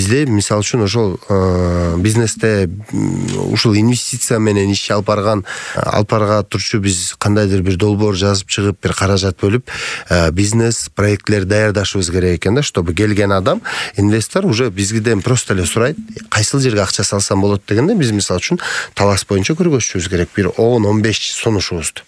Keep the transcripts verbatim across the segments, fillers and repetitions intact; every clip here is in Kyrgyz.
бизде мисалы үчүн ошол бизнесте ушул инвестиция менен иш алып барган алып барга турчу биз кандайдыр бир долбоор жазып чыгып бир каражат бөлүп бизнес проектлер даярдашыбыз керек экен да, чтобы келген адам, инвестор уже бизгиден просто эле сурайт, кайсыл жерге акча салсам болот дегенде биз мисалы үчүн талас боюнча көргөзүшүбүз керек бир он он беш сунушубузду.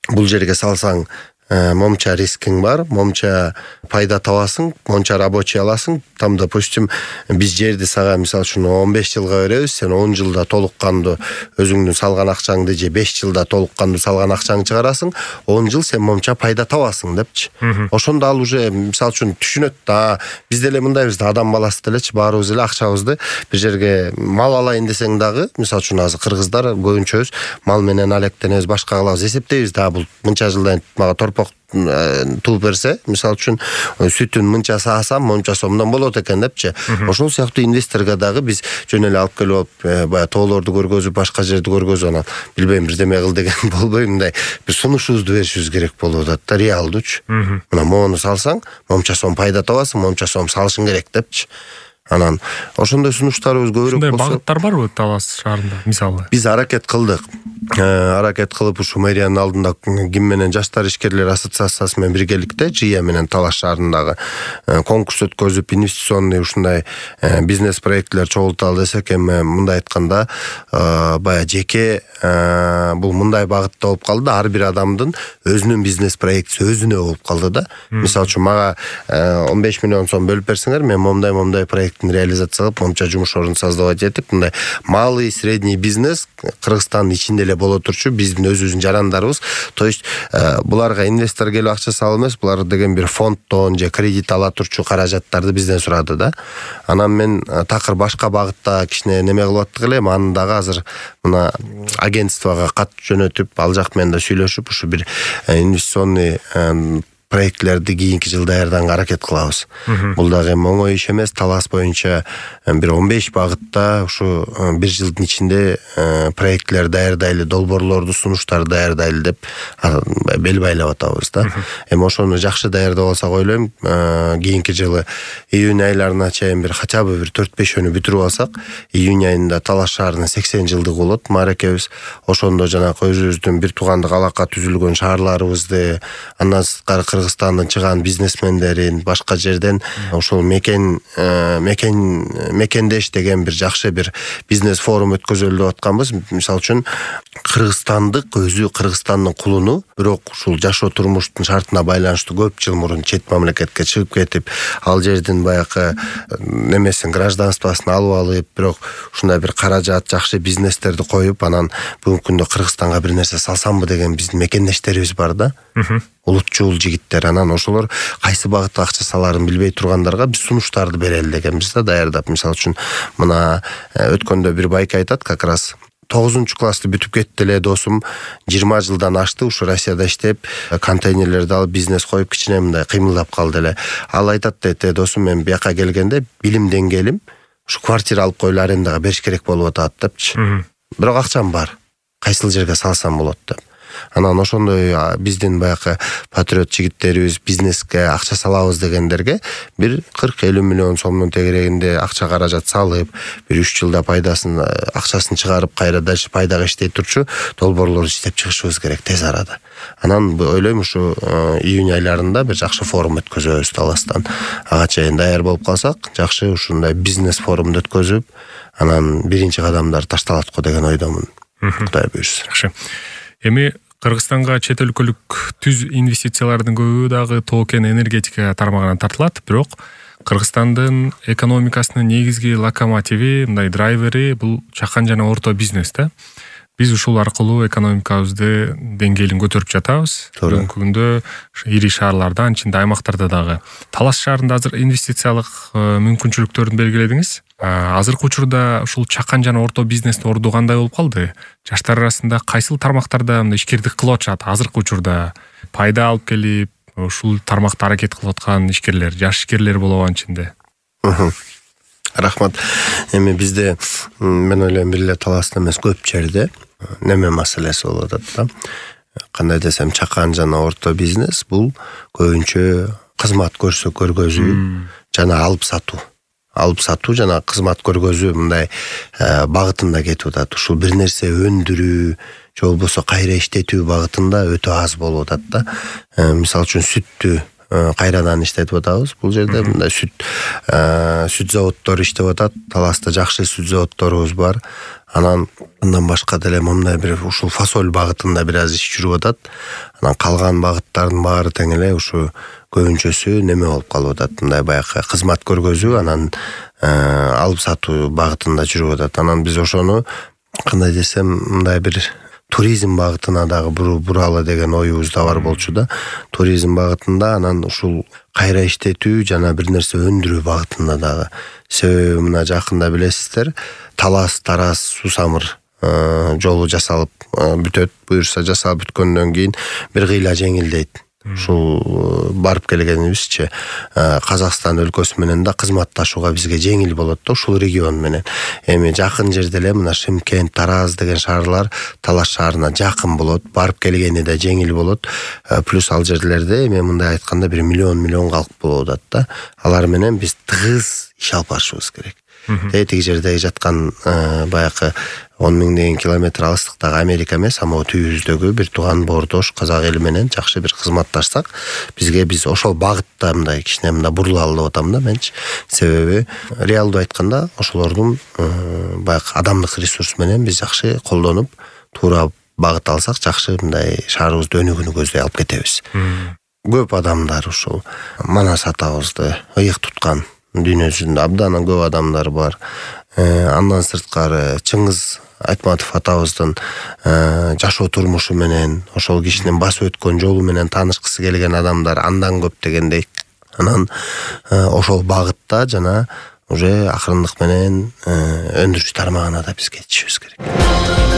Бул жерге салсаң момча рискиң бар, момча пайда табасың, монча рабочий аласың. Там, допустим, биз жерди сага мисалы үчүн он беш жылга беребиз, сен он жылда толук кандуу өзүңдүн салган акчаңды же беш жылда толук кандуу салган акчаңды чыгарасың, он жыл сен момча пайда табасың депчи. Ошондо ал уже мисалы үчүн түшүнөт да, биз деле мындайбыз да, адам баласы делечи, баарыбыз эле акчабызды бир жерге мал алайын десең дагы, мисалы үчүн азыр кыргыздар көбүнчөбүз мал менен алектенебиз, башка кылабыз, эсептейбиз да, бул мынча жылдан мага торпок тууп берсе, мисалы үчүн сүтүн мынча саасам, монча сомдон болот экен депчи. Ошол сыяктуу инвесторго дагы биз жөн эле алып келип алып, баягы тоолорду көргөзүп, башка жерди көргөзүп, анан билбейм бирдеме кыл деген болбой, мындай бир сунушубузду беришибиз керек болуп атат да, реалдуучу. Мына мону салсаң, монча сом пайда табасың, монча сом салышың керек депчи. Анан ошондой сунуштарыбыз көбүрөөк болсо. Ушундай багыттар барбы Талас шаарында мисалы? Биз аракет кылдык. Аракет кылып ушу мэриянын алдында ким менен жаштар ишкерлер ассоциациясы менен биргеликте Жия менен Талас шаарындагы конкурс өткөзүп, инвестиционный ушундай бизнес проектлер чогулталы десек, эми мындай айтканда баягы жеке бул мындай багытта болуп калды, ар бир адамдын өзүнүн бизнес проектиси өзүнө болуп калды да. Мисалы үчүн мага он беш миллион сом бөлүп берсеңер, мен момдай момдай проекттин реализация кылып, момча жумуш орун создавать этип, мындай малый, средний бизнес Кыргызстандын ичинде эле боло турчу биздин өзүбүздүн жарандарыбыз. То есть буларга инвестор келип акча салып эмес, булар деген бир фонддон же кредит ала турчу каражаттарды бизден сурады да. Анан мен такыр башка багытта кичине неме кылып аттык эле, аны дагы азыр мына агентствого кат жөнөтүп, ал жак менен да сүйлөшүп, ушу бир инвестиционный проектлерди кийинки жыл даярданга аракет кылабыз. Бул дагы оңой иш эмес. Талас боюнча бир он беш багытта ушу бир жылдын ичинде проектлер даярдайлы, долбоорлорду, сунуштарды даярдайлы деп бел байлап атабыз да. Эми ошону жакшы даярдап алсак ойлойм, кийинки жылы июнь айларына чейин бир хотя бы бир төрт бешөөнү бүтүрүп алсак, июнь айында Талас шаарынын сексен жылдыгы болот, мааракебиз. Ошондо жанагы өзүбүздүн бир туугандык алака түзүлгөн шаарларыбызды, андан сырткары Кыргызстандан чыган бизнесмендерин, башка жерден ошол мекен мекен мекендеш деген бир жакшы бир бизнес форум өткөзөлү деп атканбыз. Мисалы үчүн кыргызстандык өзү Кыргызстандын кулуну, бирок ушул жашоо турмуштун шартына байланыштуу көп жыл мурун чет мамлекетке чыгып кетип, ал жердин баягы немесин, гражданствосын алып алып, бирок ушундай бир каражат, жакшы бизнестерди коюп, анан бүгүнкү күндө Кыргызстанга бир нерсе салсамбы деген биздин мекендештерибиз бар да. Улутчул жигиттер, анан ошолор кайсы багытта акча саларын билбей тургандарга биз сунуштарды берели дегенбиз да, даярдап. Мисалы үчүн мына өткөндө бир байке айтат, как раз тогузунчу классты бүтүп кетти эле досум, жыйырма жылдан ашты, ушу Россияда иштеп, контейнерлерди алып бизнес коюп, кичине мындай кыймылдап калды эле. Ал айтат дейт, досум, мен бияка келгенде билим деңгээлим ушу квартира алып коюлуп арендага бериш керек болуп атат депчи. Бирок акчам бар, кайсыл жерге салсам болот деп. Анан ошондой биздин баягы патриот жигиттерибиз бизнеске акча салабыз дегендерге бир кырк элүү миллион сомдун тегерегинде акча каражат салып, бир үч жылда пайдасын, акчасын чыгарып, кайра дальше пайдага иштей турчу долбоорлорду иштеп чыгышыбыз керек тез арада. Анан ойлойм, ушу июнь айларында бир жакшы форум өткөзөбүз Таластан. Ага чейин даяр болуп калсак, жакшы ушундай бизнес форумду өткөзүп, анан биринчи кадамдар ташталат го деген ойдомун. Кудай буйрса. Жакшы. Эми Кыргызстанга чет өлкөлүк түз инвестициялардын көбү дагы тоо-кен энергетика тармагынан тартылат, бирок Кыргызстандын экономикасынын негизги локомотиви, мындай драйвери бул чакан жана орто бизнес да. Биз ушул аркылуу экономикабызды деңгээлин көтөрүп жатабыз. Бүгүнкү күндө ири шаарларда, ичинде аймактарда дагы. Талас шаарында азыр инвестициялык мүмкүнчүлүктөрүн белгиледиңиз. Азыркы учурда ушул чакан жана орто бизнестин орду кандай болуп калды? Жаштар арасында кайсыл тармактарда мындай ишкердик кылып атышат? Азыркы учурда пайда алып келип, ушул тармакта аракет кылып аткан ишкерлер, жаш ишкерлер болобу ичинде? Рахмат. Эми бизде мен ойлойм бир эле Таласта эмес, көп жерде неме маселеси болуп атат да. Кандай десем, чакан жана орто бизнес бул көбүнчө кызмат көрсө көргөзүү жана алып сатуу. алып сатуу жана кызмат көргөзүү мындай багытында кетип атат. Ушул бир нерсе өндүрүү же болбосо кайра иштетүү багытында өтө аз болуп атат да. Мисалы үчүн сүттү кайрадан иштетип атабыз. Бул жерде мындай сүт сүт заводдору иштеп атат. Таласта жакшы сүт заводдорубуз бар. Анан андан башка деле мындай бир ушул фасоль багытында бир аз иш жүрүп атат. Анан калган багыттардын баары тең эле ушу көбүнчөсү неме болуп калып атат. Мындай баягы кызмат көргөзүү анан алып сатуу багытында жүрүп атат. Анан биз ошону кандай десем мындай бир туризм багытына дагы буралы деген оюбуз да бар болчу да. Туризм багытында анан ушул кайра иштетүү жана бир нерсе өндүрүү багытында дагы. Себеби мына жакында билесиздер, Талас Тараз Сусамыр жолу жасалып бүтөт. Буюрса жасалып бүткөндөн кийин бир кыйла жеңилдейт. Ушул барып келгенибизче Казакстан өлкөсү менен да кызматташууга бизге жеңил болот да ушул регион менен. Эми жакын жерде эле мына Шымкент, Тараз деген шаарлар Талас шаарына жакын болот, барып келгени да жеңил болот. Плюс ал жерлерде эми мындай айтканда бир миллион миллион калк болуп атат да. Алар менен биз тыгыз иш алып барышыбыз керек. Тетиги жерде жаткан баягы он миңдеген километр алыстыктагы Америка эмес, а могу түбүбүздөгү бир тууган боордош казак эли менен жакшы бир кызматташсак, бизге биз ошол багытта мындай кичине мындай бурулалы деп атам да менчи. Себеби реалдуу айтканда ошолордун баягы адамдык ресурс менен биз жакшы колдонуп, туура багыт алсак, жакшы мындай шаарыбызды өнүгүүнү көздөй алып кетебиз. Көп адамдар ушул Манас атабызды ыйык туткан дүйнө жүзүндө абдан көп адамдар бар. Андан сырткары Чыңгыз Айтматов атабыздын жашоо турмушу менен, ошол кишинин басып өткөн жолу менен таанышкысы келген адамдар андан көп дегендей. Анан ошол багытта жана уже акырындык менен өндүрүш тармагына да биз кетишибиз керек.